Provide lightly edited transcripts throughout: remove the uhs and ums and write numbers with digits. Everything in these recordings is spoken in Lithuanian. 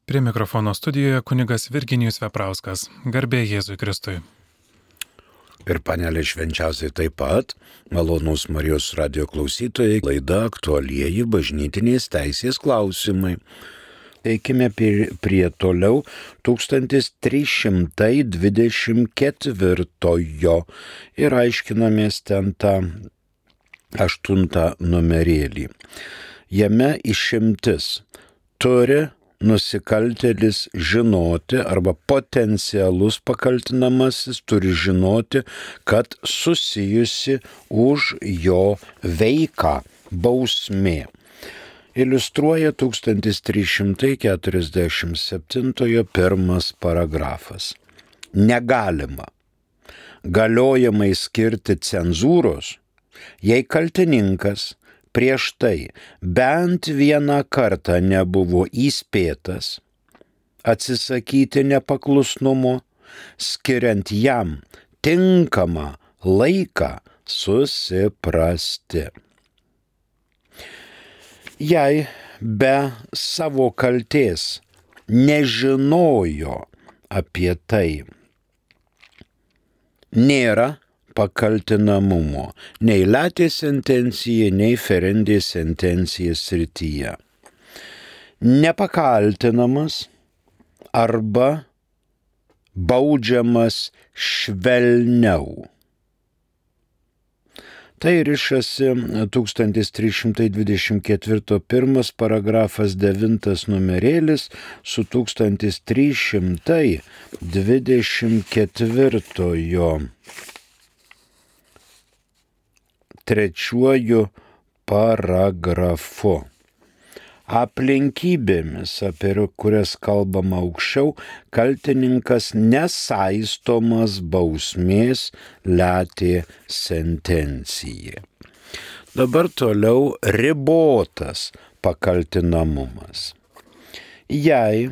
Prie mikrofono studijoje kunigas Virginijus Veprauskas. Garbė Jėzui Kristui. Ir panelė švenčiausiai taip pat, malonūs Marijos radijo klausytojai, laida aktualieji bažnytinės teisės klausimai. Eikime prie toliau 1324 ir aiškinamės ten tą 8 numerėlį. Jame išimtis turi nusikaltėlis žinoti arba potencialus pakaltinamasis turi žinoti, kad susijusi už jo veiką bausmė. Iliustruoja 1347 pirmas paragrafas. Negalima galiojamai skirti cenzūros, jei kaltininkas prieš tai bent vieną kartą nebuvo įspėtas atsisakyti nepaklusnumo, skiriant jam tinkamą laiką susiprasti. Jei be savo kaltės nežinojo apie tai, nėra pakaltinamumo nei latė sentencija, nei ferendė sentencija srityje. Nepakaltinamas arba baudžiamas švelniau. Tai rišasi 1324 pirmas paragrafas 9 numerėlis su 1324 trečiuoju paragrafu. Aplinkybėmis, apie kurias kalbama aukščiau, kaltininkas nesaistomas bausmės latė sentencija. Dabar toliau ribotas pakaltinamumas. Jei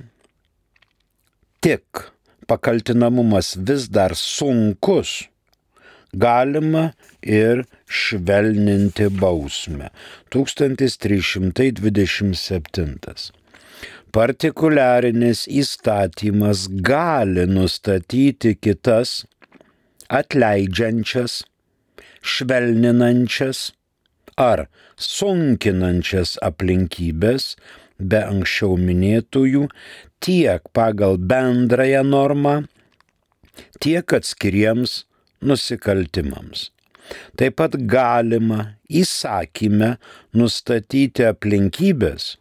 tik pakaltinamumas vis dar sunkus, galima ir švelninti bausmę. 1327. Partikuliarinis įstatymas gali nustatyti kitas atleidžiančias, švelninančias ar sunkinančias aplinkybės be anksčiau minėtųjų tiek pagal bendrąją normą, tiek atskiriems nusikaltimams. Taip pat galima įsakyme nustatyti aplinkybės,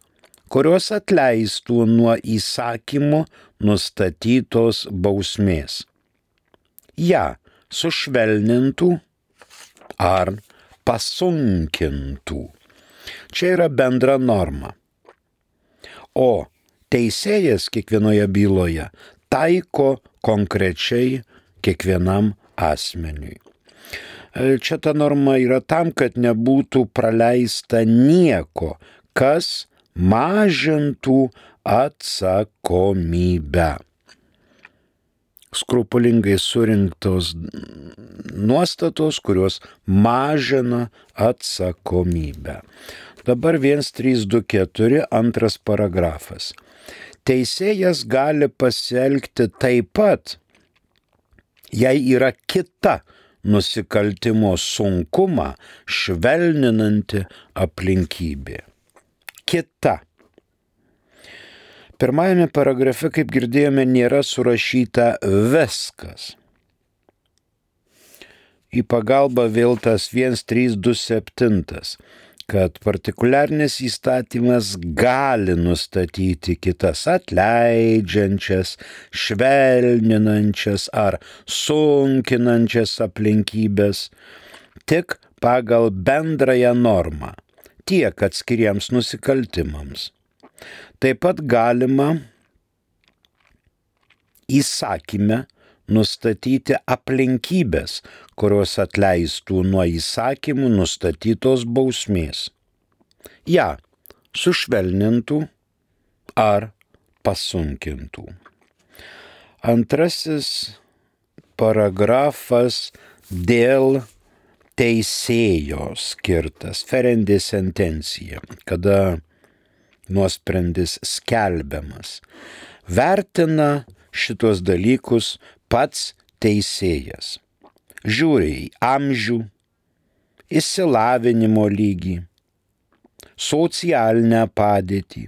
kurios atleistų nuo įsakymu nustatytos bausmės. Ja sušvelnintų ar pasunkintų. Čia yra bendra norma. O teisėjas kiekvienoje byloje taiko konkrečiai kiekvienam asmeniui. Čia ta norma yra tam, kad nebūtų praleista nieko, kas mažintų atsakomybę. Skrupulingai surinktos nuostatos, kurios mažina atsakomybę. Dabar 1324 antras paragrafas. Teisėjas gali pasielgti taip pat, jei yra kita nusikaltimo sunkumą švelninanti aplinkybė. Kita. Pirmajame paragrafe, kaip girdėjome, nėra surašyta viskas. Į pagalbą vėl tas 1327, kad partikuliarinis įstatymas gali nustatyti kitas atleidžiančias, švelninančias ar sunkinančias aplinkybės tik pagal bendrąją normą, tiek atskiriems nusikaltimams. Taip pat galima įsakyme nustatyti aplinkybės, kurios atleistų nuo įsakymų nustatytos bausmės. Ja sušvelnintų ar pasunkintų. Antrasis paragrafas dėl teisėjo skirtas, ferendė sentencija, kada nuosprendis skelbiamas. Vertina šitos dalykus pats teisėjas. Žiūri į amžių, išsilavinimo lygį, socialinę padėtį,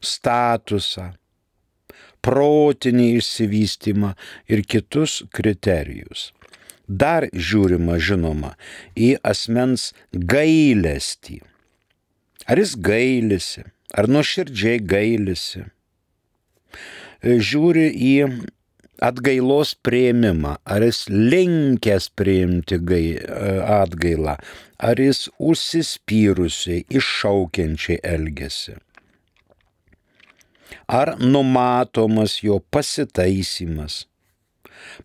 statusą, protinį išsivystymą ir kitus kriterijus. Dar žiūrima, žinoma, į asmens gailestį. Ar jis gailisi, ar nuoširdžiai gailisi. Žiūri į atgailos priėmimą, ar jis linkęs priimti atgailą, ar jis užsispyrusiai, iššaukiančiai elgiasi. Ar numatomas jo pasitaisymas,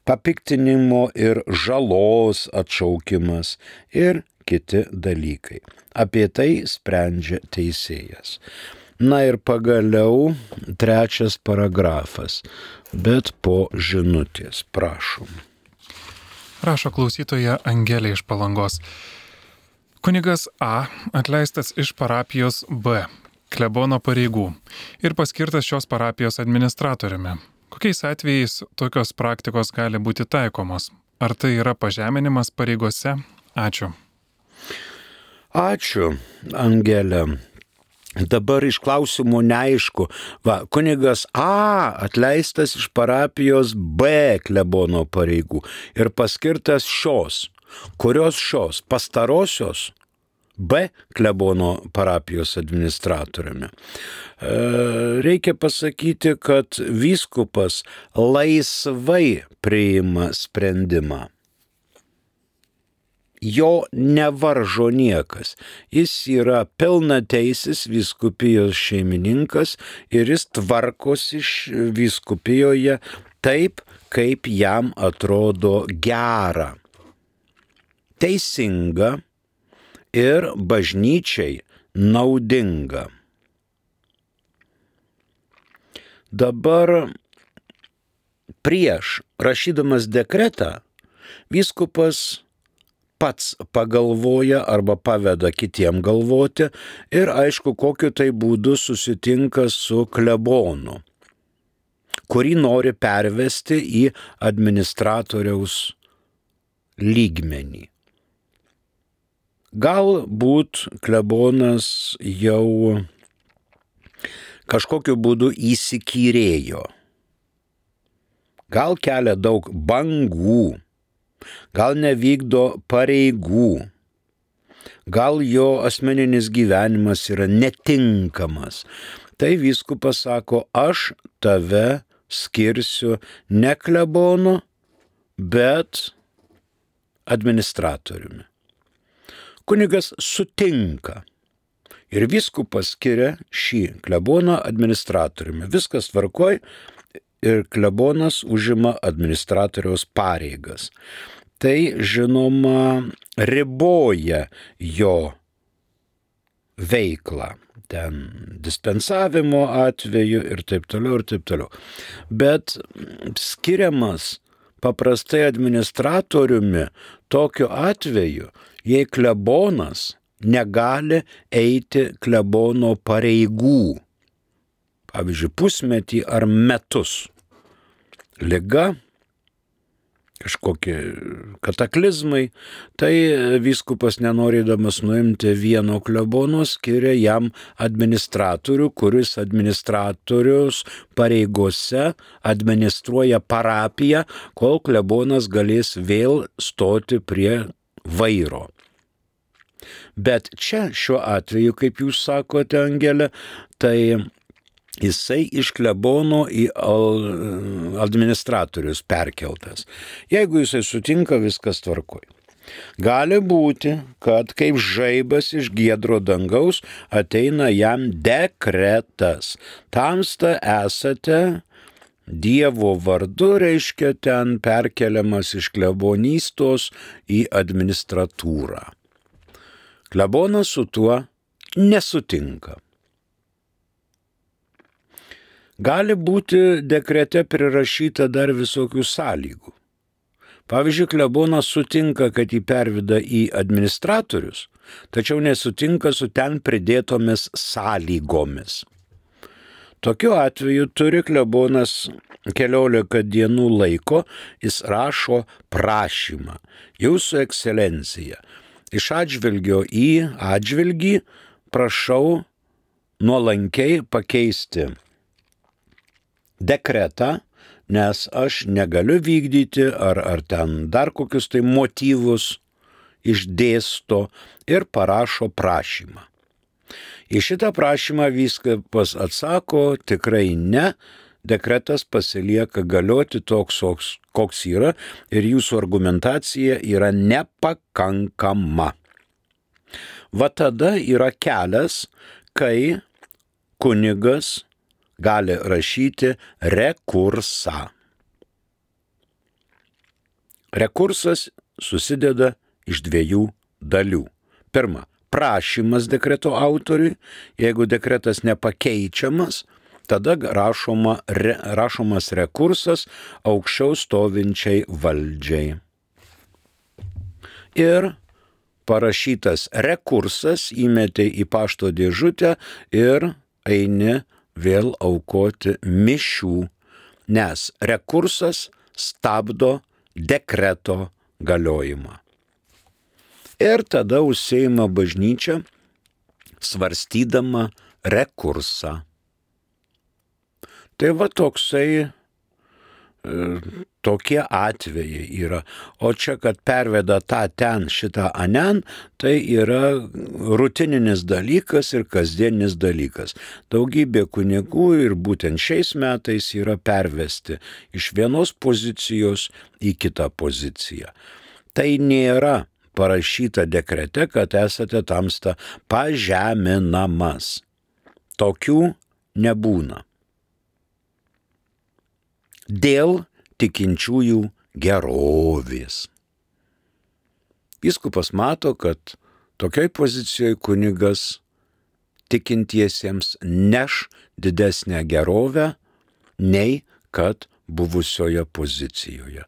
papiktinimo ir žalos atšaukimas ir kiti dalykai. Apie tai sprendžia teisėjas. Na ir pagaliau 3 paragrafas, bet po žinutės, prašom. Rašo klausytoja Angelė iš Palangos. Kunigas A atleistas iš parapijos B, klebono pareigų, ir paskirtas šios parapijos administratoriumi. Kokiais atvejais tokios praktikos gali būti taikomos? Ar tai yra pažeminimas pareigose? Ačiū. Ačiū, Angelė. Dabar iš klausimų neaišku. Kunigas A atleistas iš parapijos B klebono pareigų ir paskirtas šios. Kurios šios? Pastarosios B klebono parapijos administratoriumi. Reikia pasakyti, kad vyskupas laisvai priima sprendimą. Jo nevaržo niekas. Jis yra pilnateisis vyskupijos šeimininkas ir jis tvarkosi vyskupijoje taip, kaip jam atrodo gera, teisinga ir bažnyčiai naudinga. Dabar prieš rašydamas dekretą vyskupas pats pagalvoja arba paveda kitiem galvoti ir aišku, kokiu tai būdu susitinka su klebonu, kurį nori pervesti į administratoriaus lygmenį. Galbūt klebonas jau kažkokiu būdu įsikyrėjo, gal kelia daug bangų, gal nevykdo pareigų, gal jo asmeninis gyvenimas yra netinkamas. Tai vyskupas sako, aš tave skirsiu ne klebonu, bet administratoriumi. Kunigas sutinka ir vyskupas skiria šį kleboną administratoriumi. Viskas tvarkoj. Ir klebonas užima administratoriaus pareigas. Tai, žinoma, riboja jo veiklą. Ten dispensavimo atveju ir taip toliau, ir taip toliau. Bet skiriamas paprastai administratoriumi tokiu atveju, jei klebonas negali eiti klebono pareigų. Pavyzdžiui, pusmetį ar metus. Liga, kažkokie kataklizmai, tai vyskupas nenorėdamas nuimti vieno klebono skiria jam administratorių, kuris administratorius pareigose administruoja parapiją, kol klebonas galės vėl stoti prie vairo. Bet čia šiuo atveju, kaip jūs sakote, Angelė, tai jisai iš klebono į administratorius perkeltas. Jeigu jisai sutinka, viskas tvarkoj. Gali būti, kad kaip žaibas iš giedro dangaus ateina jam dekretas. Tamsta esate Dievo vardu, reiškia ten perkeliamas iš klebonystos į administratūrą. Klebonas su tuo nesutinka. Gali būti dekrete prirašyta dar visokių sąlygų. Pavyzdžiui, klebonas sutinka, kad jį perveda į administratorius, tačiau nesutinka su ten pridėtomis sąlygomis. Tokiu atveju turi klebonas 14 dienų laiko, jis rašo prašymą. Jūsų ekscelencija, iš atžvilgio į atžvilgį prašau nuolankiai pakeisti dekretą, nes aš negaliu vykdyti ar ten dar kokius tai motyvus išdėsto ir parašo prašymą. Į šitą prašymą vyskupas atsako, tikrai ne, dekretas pasilieka galioti toks, koks yra ir jūsų argumentacija yra nepakankama. Va tada yra kelias, kai kunigas gali rašyti rekursą. Rekursas susideda iš 2 dalių. Pirma, prašymas dekreto autoriui, jeigu dekretas nepakeičiamas, tada rašomas rekursas aukščiau stovinčiai valdžiai. Ir parašytas rekursas įmetė į pašto dėžutę ir eini vėl aukoti mišių, nes rekursas stabdo dekreto galiojimą. Ir tada užsiima bažnyčia svarstydama rekursą. Tai va tokie atvejai yra. O čia, kad perveda tą ten, šitą anen, tai yra rutininis dalykas ir kasdienis dalykas. Daugybė kunigų ir būtent šiais metais yra pervesti iš vienos pozicijos į kitą poziciją. Tai nėra parašyta dekrete, kad esate tamsta pažeminamas. Tokių nebūna. Dėl tikinčiųjų gerovės. Vyskupas mato, kad tokioj pozicijoje kunigas tikintiesiems neš didesnę gerovę, nei kad buvusioje pozicijoje.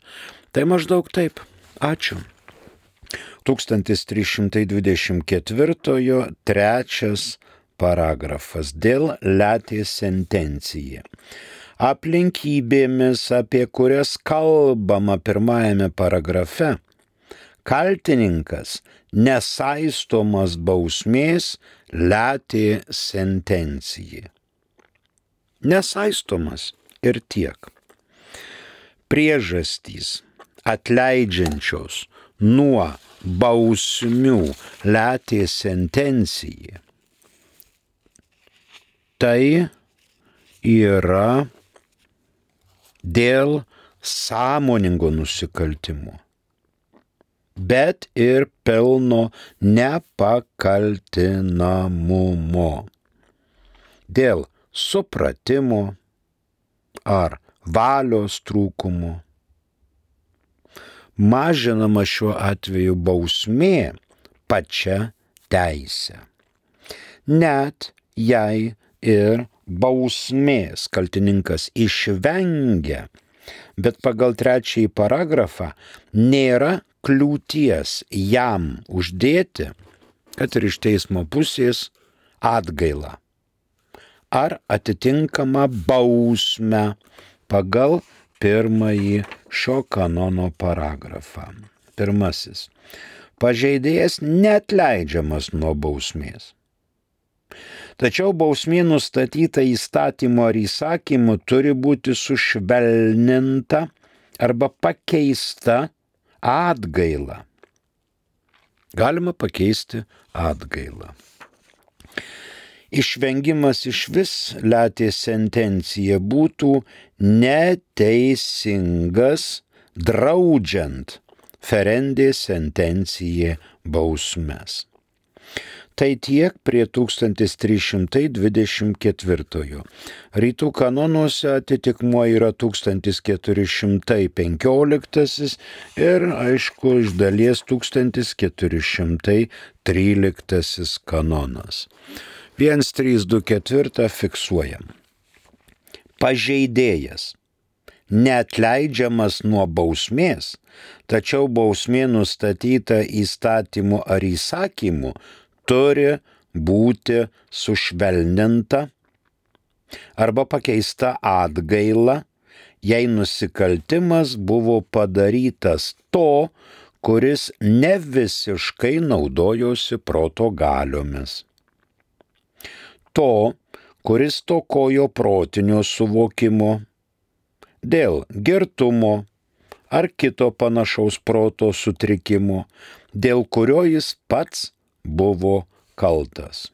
Tai maždaug taip. Ačiū. 1324 trečias paragrafas dėl letės sentencija. Aplinkybėmis, apie kurias kalbama pirmajame paragrafe, kaltininkas nesaistomas bausmės letė sentencija. Nesaistomas ir tiek. Priežastys atleidžiančios nuo bausmių letė sentencija. Tai yra dėl sąmoningo nusikaltimo, bet ir pelno nepakaltinamumo, dėl supratimo ar valios trūkumo. Mažinama šiuo atveju bausmė pačia teise. Net jei ir bausmės kaltininkas išvengia, bet pagal 3 paragrafą nėra kliūties jam uždėti, kad ir iš teismo pusės, atgailą ar atitinkamą bausmę pagal 1 šio kanono paragrafą. 1. Pažeidėjas neatleidžiamas nuo bausmės. Tačiau bausmė nustatyta įstatymu ar įsakymu turi būti sušvelninta arba pakeista atgaila. Galima pakeisti atgailą. Išvengimas išvis letės sentencija būtų neteisingas, draudžiant ferendė sentencija bausmes. Tai tiek prie 1324. Rytų kanonuose atitikmuo yra 1415 ir, aišku, iš dalies 1413 kanonas. 1324 fiksuojam. Pažeidėjas neatleidžiamas nuo bausmės, tačiau bausmė nustatyta įstatymu ar įsakymu turi būti sušvelninta arba pakeista atgaila, jei nusikaltimas buvo padarytas to, kuris ne visiškai naudojosi proto galiomis. To, kuris stokojo protinio suvokimo, dėl girtumo ar kito panašaus proto sutrikimo, dėl kurio jis pats buvo kaltas.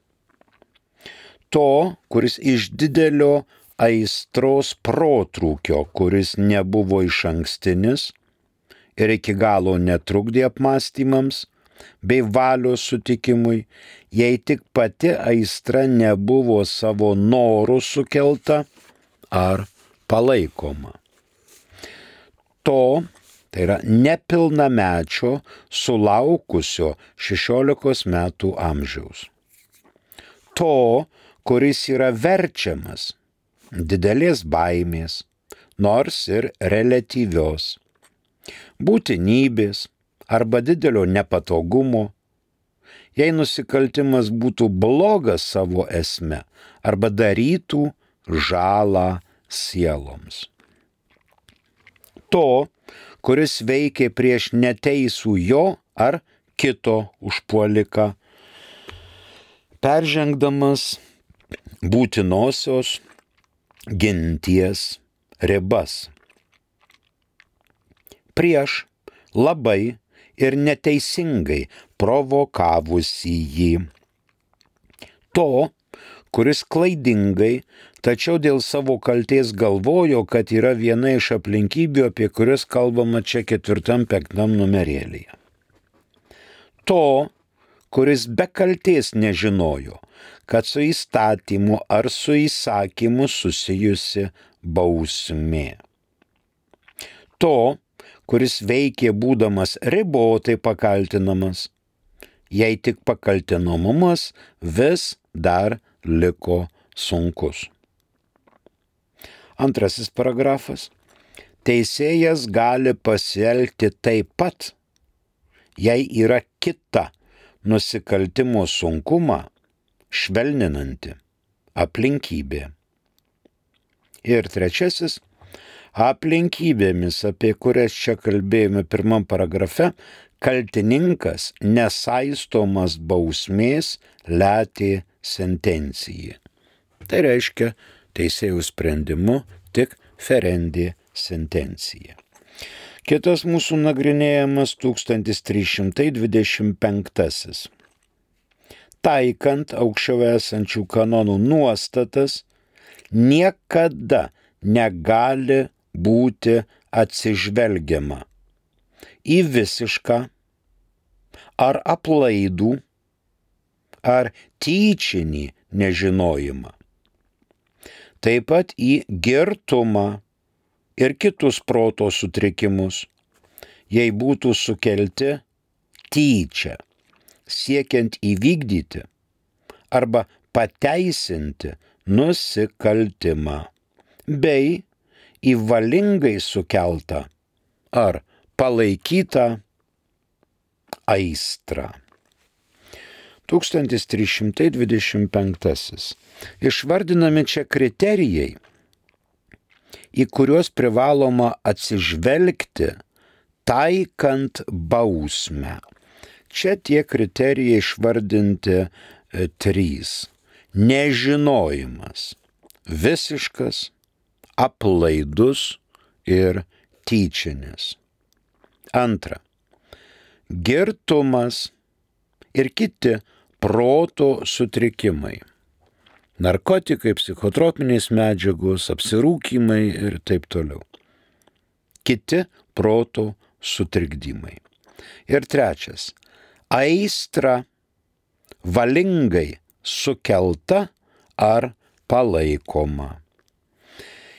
To, kuris iš didelio aistros protrūkio, kuris nebuvo išankstinis ir iki galo netrukdė apmąstymams bei valios sutikimui, jei tik pati aistra nebuvo savo norų sukelta ar palaikoma. To, tai yra nepilnamečio sulaukusio 16 metų amžiaus. To, kuris yra verčiamas didelės baimės, nors ir reliatyvios, būtinybės arba didelio nepatogumo, jei nusikaltimas būtų blogas savo esme arba darytų žalą sieloms. To, kuris veikė prieš neteisų jo ar kito užpuoliką, peržengdamas būtinosios ginties ribas. Prieš labai ir neteisingai provokavusį jį. To, kuris klaidingai, tačiau dėl savo kaltės galvojo, kad yra viena iš aplinkybių, apie kurias kalbama čia 4-5 numerėlyje. To, kuris be kaltės nežinojo, kad su įstatymu ar su įsakymu susijusi bausmė. To, kuris veikė būdamas ribotai pakaltinamas, jei tik pakaltinamumas vis dar liko sunkus. Antrasis paragrafas. Teisėjas gali pasielgti taip pat, jei yra kita nusikaltimo sunkumą švelninanti aplinkybė. Ir trečiasis. Aplinkybėmis, apie kurias čia kalbėjome pirmam paragrafe, kaltininkas nesaistomas bausmės letė sentencijai. Tai reiškia teisėjų sprendimu tik ferendė sentencija. Kitas mūsų nagrinėjamas 1325. Taikant aukščiau esančių kanonų nuostatas, niekada negali būti atsižvelgiama į visišką ar aplaidų ar tyčinį nežinojimą. Taip pat į girtumą ir kitus proto sutrikimus, jei būtų sukelti tyčia, siekiant įvykdyti arba pateisinti nusikaltimą, bei į valingai sukeltą ar palaikytą aistrą. 1325. Išvardinami čia kriterijai, į kuriuos privaloma atsižvelgti, taikant bausmę. Čia tie kriterijai išvardinti 3. Nežinojimas, visiškas, aplaidus ir tyčinis. 2. Girtumas ir kiti proto sutrikimai. Narkotikai, psichotropinės medžiagos, apsirūkymai ir taip toliau. Kiti proto sutrikdymai. Ir 3. Aistra valingai sukelta ar palaikoma.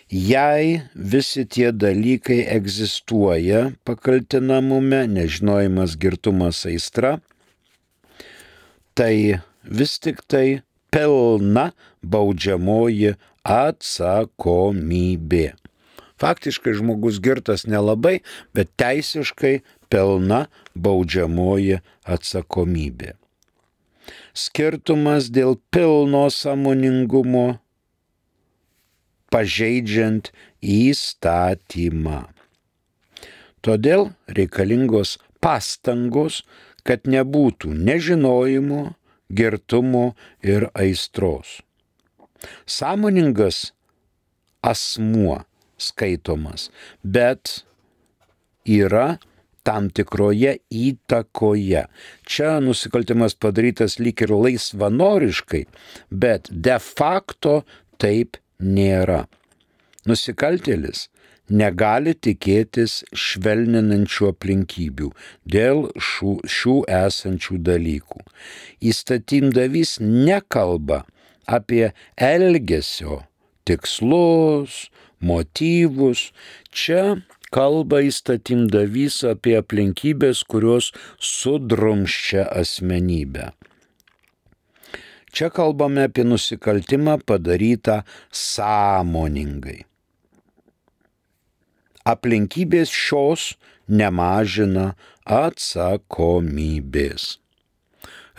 Jei visi tie dalykai egzistuoja pakaltinamume, nežinojimas, girtumas, aistra, tai vis tik tai pilna baudžiamoji atsakomybė. Faktiškai žmogus girtas nelabai, bet teisiškai pilna baudžiamoji atsakomybė. Skirtumas dėl pilno sąmoningumo pažeidžiant įstatymą. Todėl reikalingos pastangos, kad nebūtų nežinojimo, girtumo ir aistros. Sąmoningas asmuo skaitomas, bet yra tam tikroje įtakoje. Čia nusikaltimas padarytas lyg ir laisvanoriškai, bet de facto taip nėra. Nusikaltėlis negali tikėtis švelninančių aplinkybių dėl šių esančių dalykų. Įstatymdavys nekalba apie elgesio tikslus, motyvus. Čia kalba įstatymdavys apie aplinkybės, kurios sudrumsčia asmenybę. Čia kalbame apie nusikaltimą padarytą sąmoningai. Aplinkybės šios nemažina atsakomybės.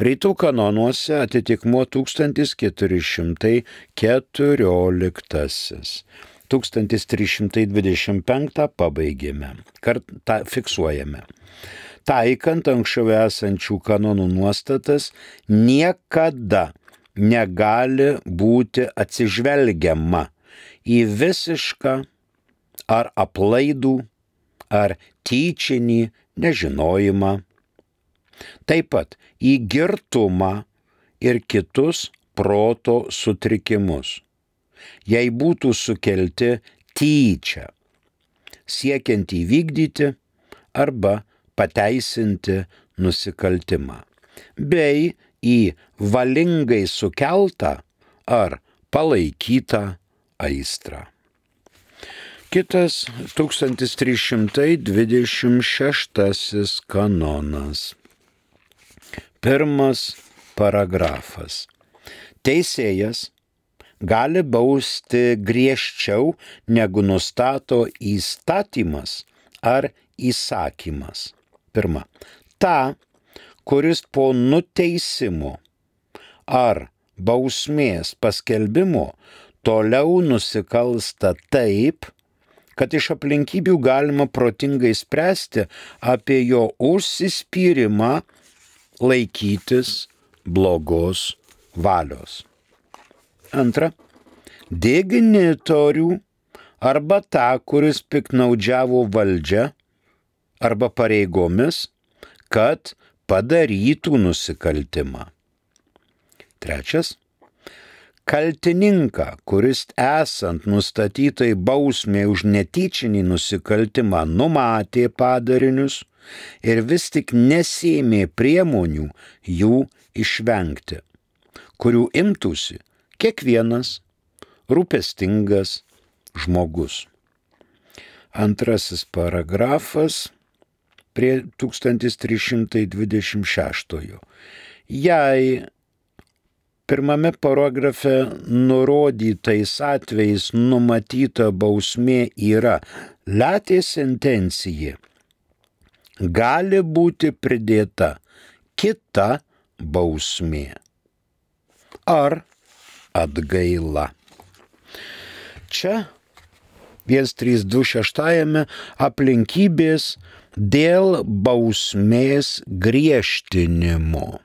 Rytų kanonuose atitikmuo 1414, 1325 pabaigėme, fiksuojame. Taikant anksčiau esančių kanonų nuostatas, niekada negali būti atsižvelgiama į visišką ar aplaidų, ar tyčinį nežinojimą. Taip pat į girtumą ir kitus proto sutrikimus, jei būtų sukelti tyčia, siekiant įvykdyti arba pateisinti nusikaltimą, bei į valingai sukeltą ar palaikytą aistrą. Kitas 1326 kanonas. Pirmas paragrafas. Teisėjas gali bausti griežčiau, negu nustato įstatymas ar įsakymas. Pirma, tą, kuris po nuteisimo ar bausmės paskelbimo toliau nusikalsta taip, kad iš aplinkybių galima protingai spręsti apie jo užsispyrimą laikytis blogos valios. Antra, dignitorių arba tą, kuris piktnaudžiavo valdžia arba pareigomis, kad padarytų nusikaltimą. Trečias, kaltininką, kuris esant nustatytai bausmė už netyčinį nusikaltimą numatė padarinius ir vis tik nesėmė priemonių jų išvengti, kurių imtųsi kiekvienas rūpestingas žmogus. Antrasis paragrafas prie 1326. Jei pirmame paragrafe nurodytais atvejais numatyta bausmė yra latė sentencija, gali būti pridėta kita bausmė ar atgaila. Čia 1326 aplinkybės dėl bausmės griežtinimo.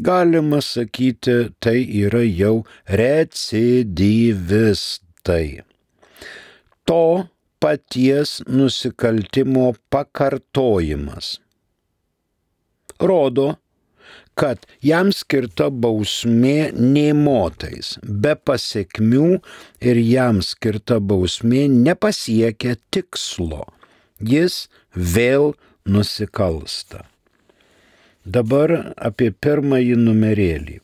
Galima sakyti, tai yra jau recidyvistai. To paties nusikaltimo pakartojimas rodo, kad jam skirta bausmė nė motais, be pasekmių ir jam skirta bausmė nepasiekia tikslo. Jis vėl nusikalsta. Dabar apie pirmąjį numerėlį.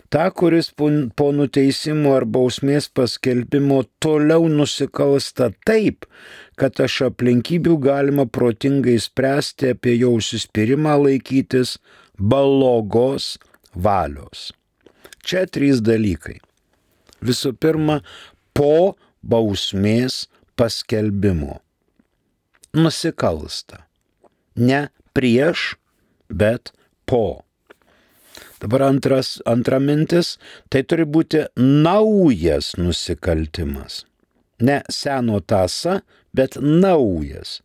Ta, kuris po nuteisimo ar bausmės paskelbimo toliau nusikalsta taip, kad iš aplinkybių galima protingai spręsti apie jo užsispyrimą laikytis blogos valios. Čia 3 dalykai. Visų pirma, po bausmės paskelbimo. Nusikalsta. Ne prieš, bet po. Dabar antra mintis, tai turi būti naujas nusikaltimas. Ne seno tąsa, bet naujas.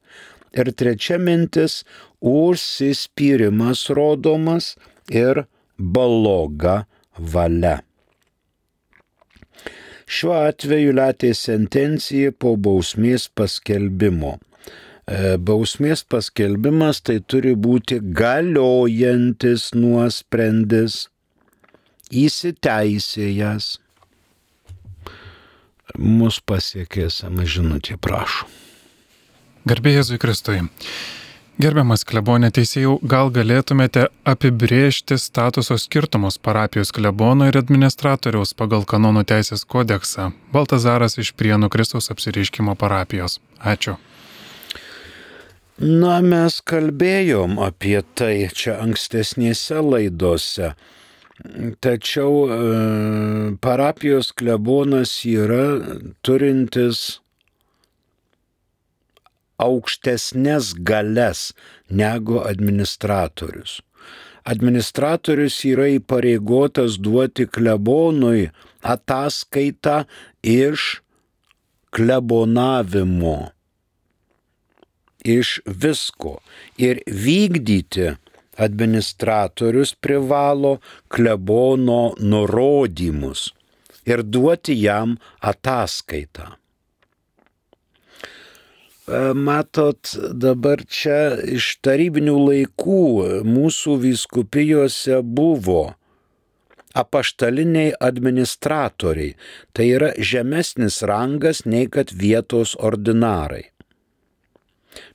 Ir trečia mintis, užsispyrimas rodomas ir bloga valia. Šiuo atveju letė sentencija po bausmės paskelbimo. Bausmės paskelbimas tai turi būti galiojantis nuosprendis, įsiteisėjęs. Mus pasiekė esama žinutė, prašau. Garbė Jėzui Kristui. Gerbiamas klebone teisėjau, gal galėtumėte apibrėžti statuso skirtumus parapijos klebono ir administratoriaus pagal kanonų teisės kodeksą? Baltazaras iš Prienų Kristaus apsireiškimo parapijos. Ačiū. Na, mes kalbėjom apie tai čia ankstesnėse laidose. Tačiau parapijos klebonas yra turintis aukštesnės galias negu administratorius. Administratorius yra įpareigotas duoti klebonui ataskaitą iš klebonavimo, iš visko, ir vykdyti administratorius privalo klebono nurodymus ir duoti jam ataskaitą. Matot, dabar čia iš tarybinių laikų mūsų vyskupijose buvo apaštaliniai administratoriai, tai yra žemesnis rangas nei kad vietos ordinarai.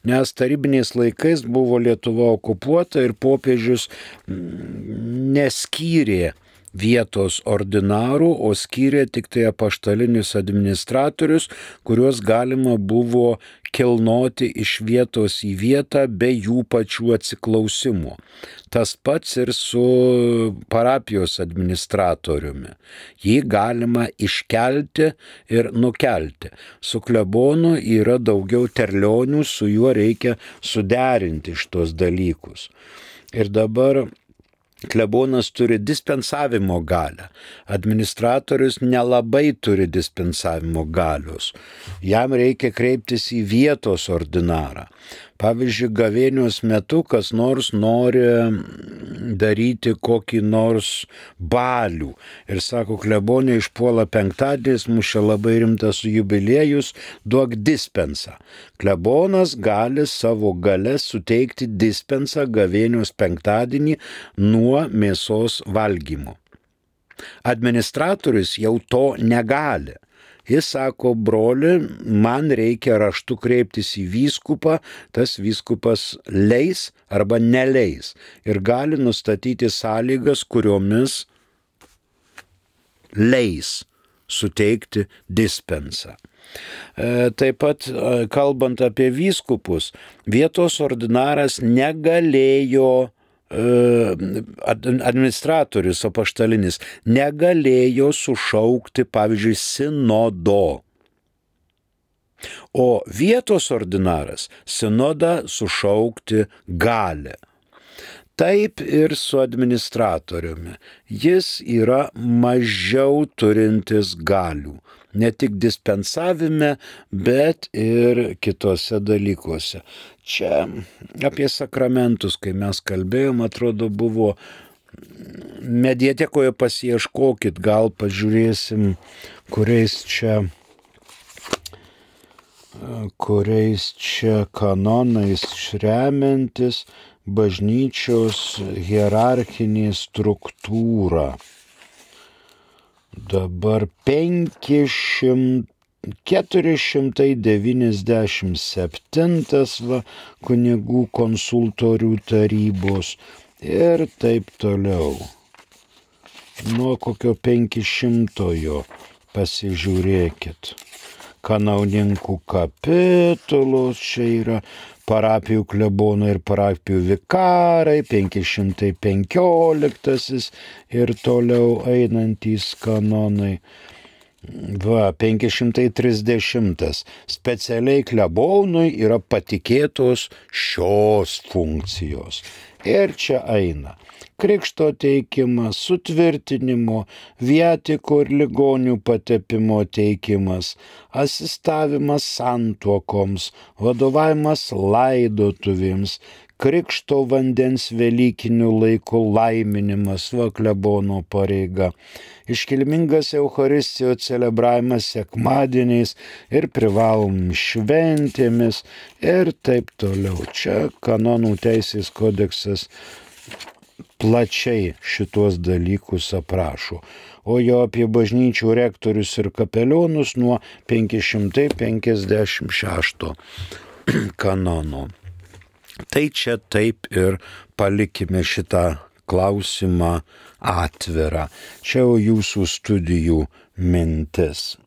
Nes tarybiniais laikais buvo Lietuva okupuota ir popiežius neskyrė vietos ordinarų, o skyrė tik tai apaštalinius administratorius, kuriuos galima buvo kilnoti iš vietos į vietą be jų pačių atsiklausimų. Tas pats ir su parapijos administratoriumi. Jį galima iškelti ir nukelti. Su klebonu yra daugiau terlionių, su juo reikia suderinti šitos dalykus. Ir dabar klebonas turi dispensavimo galią. Administratorius nelabai turi dispensavimo galios. Jam reikia kreiptis į vietos ordinarą. Pavyzdžiui, gavėnios metu kas nors nori daryti kokį nors balių. Ir sako, klebonė išpuola penktadienis, mūsų labai rimtas jubiliejus, duok dispensą. Klebonas gali savo galę suteikti dispensą gavėnios penktadienį nuo mėsos valgymo. Administratorius jau to negali. Jis sako, broli, man reikia raštu kreiptis į vyskupą, tas vyskupas leis arba neleis ir gali nustatyti sąlygas, kuriomis leis suteikti dispensą. Taip pat, kalbant apie vyskupus, vietos ordinaras negalėjo, administratorius apaštalinis negalėjo sušaukti, pavyzdžiui, sinodo. O vietos ordinaras sinodą sušaukti gali. Taip ir su administratoriumi. Jis yra mažiau turintis galių. Ne tik dispensavime, bet ir kitose dalykuose. Čia apie sakramentus, kai mes kalbėjom, atrodo, buvo mediatekoje pasiieškokit, gal pažiūrėsim, kuriais čia kanonais remiantis bažnyčios hierarchinė struktūra. Dabar 497 kunigų konsultorių tarybos ir taip toliau. Nuo kokio 500 pasižiūrėkit. Kanauninkų kapitulos, čia yra parapijų klebonai ir parapijų vikarai, 515 ir toliau einantys kanonai. 530. Specialiai klebonui yra patikėtos šios funkcijos. Ir čia eina krikšto teikimas, sutvirtinimo, viatiko ir ligonių patepimo teikimas, asistavimas santuokoms, vadovavimas laidotuvėms, krikšto vandens velykinių laikų laiminimas, klebono pareiga, iškilmingas Eucharistijos celebravimas sekmadieniais ir privalomomis šventėmis ir taip toliau. Čia kanonų teisės kodeksas plačiai šitos dalykus aprašo, o jo apie bažnyčių rektorius ir kapelionus nuo 556 kanono. Tai čia taip ir palikime šitą klausimą atvirą. Čia jau jūsų studijų mintis.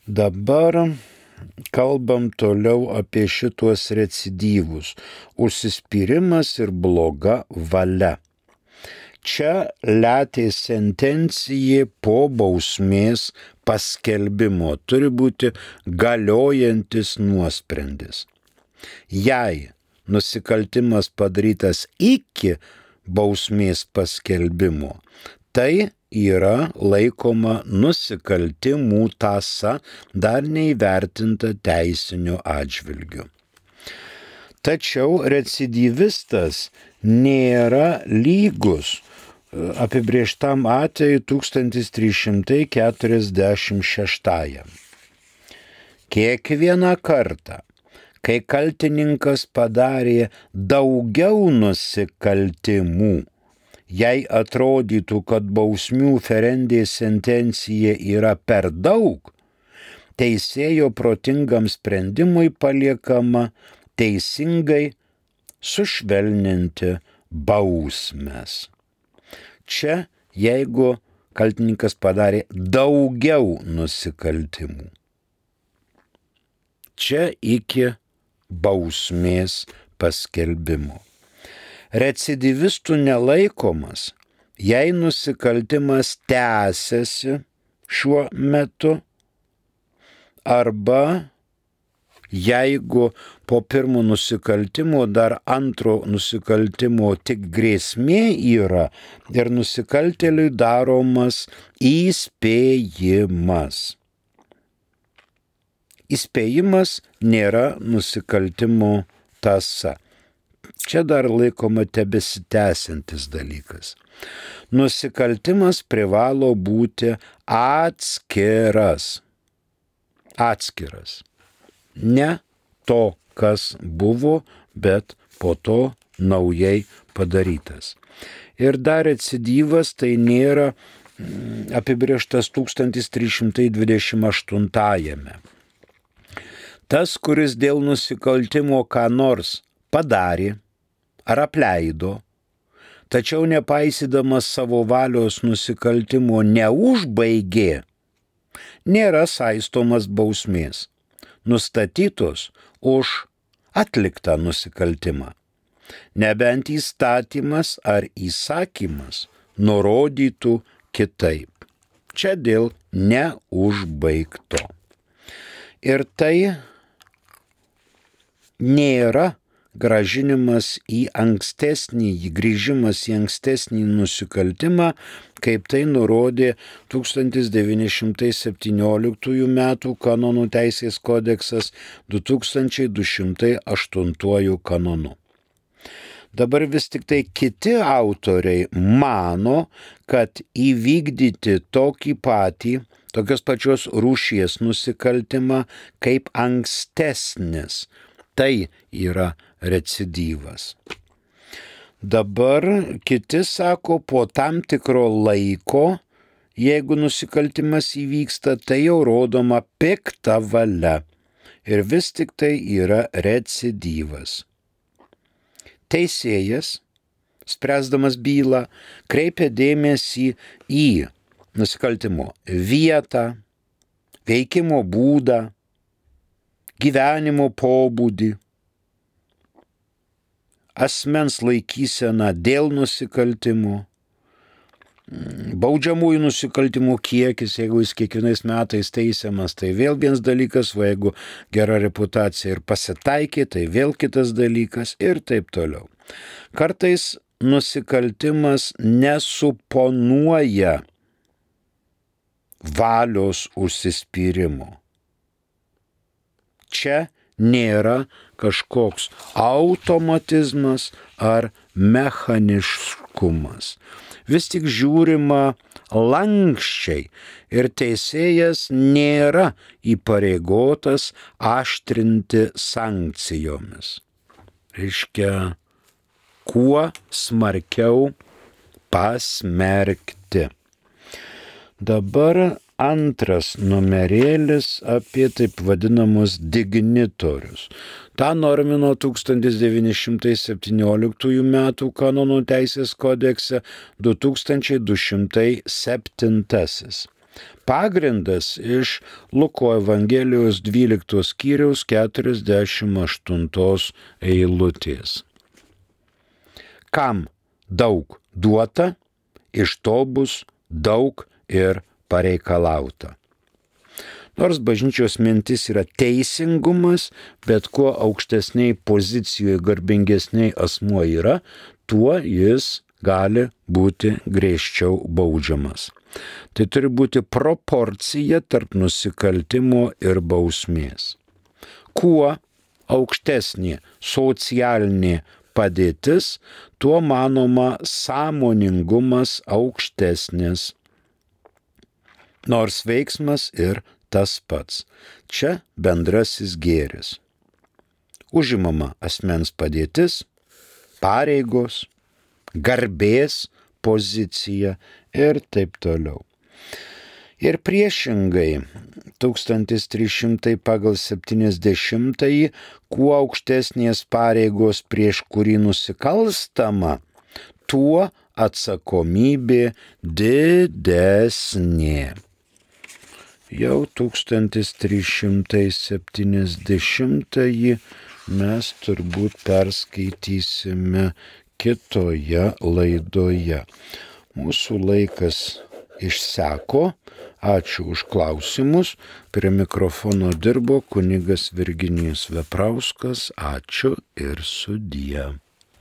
Dabar kalbam toliau apie šitos recidyvus. Užsispyrimas ir bloga valia. Čia letė sentencija po bausmės paskelbimo. Turi būti galiojantis nuosprendis. Jei nusikaltimas padarytas iki bausmės paskelbimo, tai yra laikoma nusikaltimų tąsa dar neįvertinta teisiniu atžvilgiu. Tačiau recidyvistas nėra lygus apibrėžtam atvejui 1346. Kiekvieną kartą, kai kaltininkas padarė daugiau nusikaltimų, jei atrodytų, kad bausmių ferendės sentencija yra per daug, teisėjo protingam sprendimui paliekama teisingai sušvelninti bausmes. Čia, jeigu kaltininkas padarė daugiau nusikaltimų, čia iki bausmės paskelbimo. Recidyvistų nelaikomas, jei nusikaltimas tęsiasi šiuo metu, arba jeigu po pirmo nusikaltimo dar antro nusikaltimo tik grėsmė yra ir nusikaltėliui daromas įspėjimas. Įspėjimas nėra nusikaltimo tąsa. Čia dar laikoma tebesitęsiantis dalykas. Nusikaltimas privalo būti atskiras. Atskiras. Ne to, kas buvo, bet po to naujai padarytas. Ir dar recidyvas tai nėra apibrėžtas 1328. Tas, kuris dėl nusikaltimo ką nors padarė ar apleido, tačiau nepaisydamas savo valios nusikaltimo neužbaigė, nėra saistomas bausmės, nustatytos už atliktą nusikaltimą, nebent įstatymas ar įsakymas nurodytų kitaip. Čia dėl neužbaigto. Ir tai nėra grąžinimas į grįžimas į ankstesnį nusikaltimą, kaip tai nurodė 1917 m. kanonų teisės kodeksas 2208 kanonu. Dabar vis tik tai kiti autoriai mano, kad įvykdyti tokios pačios rūšies nusikaltimą kaip ankstesnis, tai yra recidyvas. Dabar kiti sako, po tam tikro laiko, jeigu nusikaltimas įvyksta, tai jau rodoma pikta valia ir vis tik tai yra recidyvas. Teisėjas, spręsdamas bylą, kreipia dėmesį į nusikaltimo vietą, veikimo būdą, gyvenimo pobūdį, asmens laikyseną dėl nusikaltimo, baudžiamųjų nusikaltimų kiekis, jeigu jis kiekvienais metais teisiamas, tai vėl vienas dalykas, o jeigu gera reputacija ir pasitaikė, tai vėl kitas dalykas ir taip toliau. Kartais nusikaltimas nesuponuoja valios užsispyrimo. Čia nėra kažkoks automatizmas ar mechaniškumas. Vis tik žiūrima lankščiai ir teisėjas nėra įpareigotas aštrinti sankcijomis. Reiškia, kuo smarkiau pasmerkti. Dabar antras numerėlis apie taip vadinamus dignitorius. Ta normino 1917 metų kanonų teisės kodekse 2207. Pagrindas iš Luko Evangelijos 12 skyriaus 48 eilutės. Kam daug duota, iš to bus daug ir pareikalauta. Nors bažnyčios mintis yra teisingumas, bet kuo aukštesniai pozicijoje garbingesniai asmuo yra, tuo jis gali būti griežčiau baudžiamas. Tai turi būti proporcija tarp nusikaltimo ir bausmės. Kuo aukštesnė socialinė padėtis, tuo manoma sąmoningumas aukštesnis. Nors veiksmas ir tas pats. Čia bendrasis gėris. Užimama asmens padėtis, pareigos, garbės pozicija ir taip toliau. Ir priešingai, 1300 pagal 70, kuo aukštesnės pareigos prieš kurį nusikalstama, tuo atsakomybė didesnė. Jau 1370 mes turbūt perskaitysime kitoje laidoje. Mūsų laikas išseko. Ačiū už klausimus. Prie mikrofono dirbo kunigas Virginijus Veprauskas. Ačiū ir sudie.